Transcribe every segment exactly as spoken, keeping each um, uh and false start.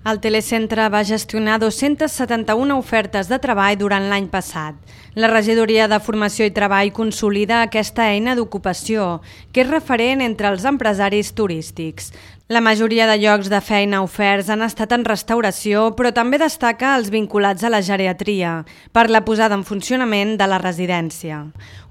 El Telecentre va gestionar dos-centes setanta-una ofertes de treball durant l'any passat. La Regidoria de Formació i Treball consolida aquesta eina d'ocupació, que és referent entre els empresaris turístics. La majoria de llocs de feina oferts han estat en restauració, però també destaca els vinculats a la geriatria, per la posada en funcionament de la residència.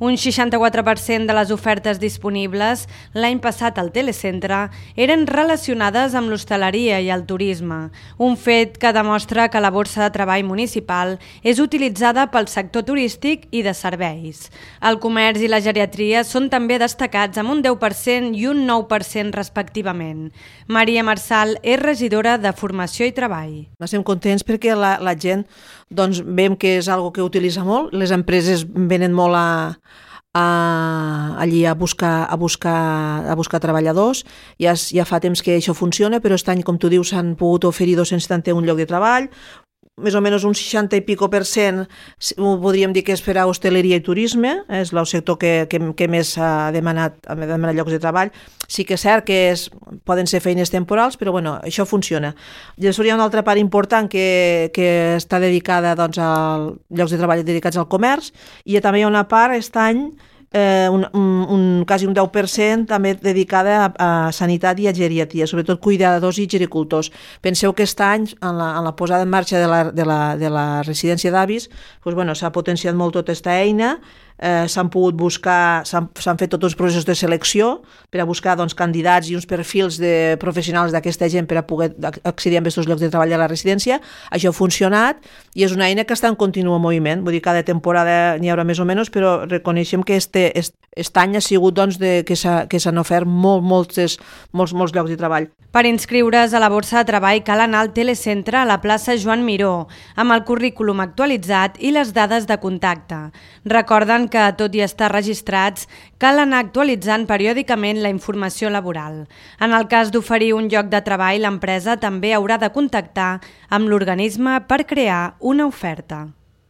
Un seixanta-quatre per cent de les ofertes disponibles l'any passat al Telecentre eren relacionades amb l'hostaleria i el turisme, un fet que demostra que la borsa de treball municipal és utilitzada pel sector turístic i de serveis. El comerç i la geriatria són també destacats amb un deu per cent i un nou per cent respectivament. Maria Marçal és regidora de Formació i Treball. Estem contents perquè la, la gent doncs, veiem que és algo que utilitza molt, les empreses venen molt a, a, allí a buscar, a, buscar, a buscar treballadors, ja, ja fa temps que això funciona, però aquest any, com tu dius, s'han pogut oferir dos-cents setanta-un llocs de treball, més o menys un seixanta i pico per cent podríem dir que és per a hostaleria i turisme, és el sector que, que, que més ha demanat, ha demanat llocs de treball. Sí que és cert que és, poden ser feines temporals, però bueno, això funciona. Després hi ha una altra part important que, que està dedicada doncs, a llocs de treball dedicats al comerç, i també hi ha una part aquest any Eh, un, un, un, quasi un deu per cent també dedicada a, a sanitat i a geriatria, sobretot cuidadors i gericultors. Penseu que aquest any, en la, en la posada en marxa de la, de la, de la residència d'avis, doncs, bueno, s'ha potenciat molt tota aquesta eina, eh, s'han pogut buscar, s'han fet tots els processos de selecció per a buscar doncs, candidats i uns perfils de professionals d'aquesta gent per a poder accedir a aquests llocs de treball a la residència. Això ha funcionat i és una eina que està en continu moviment, vull dir, cada temporada n'hi haurà més o menys, però reconeixem que este, este, este any ha sigut doncs, de, que s'han ofert molt, molts, molts, molts llocs de treball. Per inscriure's a la borsa de treball cal anar al Telecentre a la plaça Joan Miró, amb el currículum actualitzat i les dades de contacte. Recorden que, tot i estar registrats, cal anar actualitzant periòdicament la informació laboral. En el cas d'oferir un lloc de treball, l'empresa també haurà de contactar amb l'organisme per crear una oferta.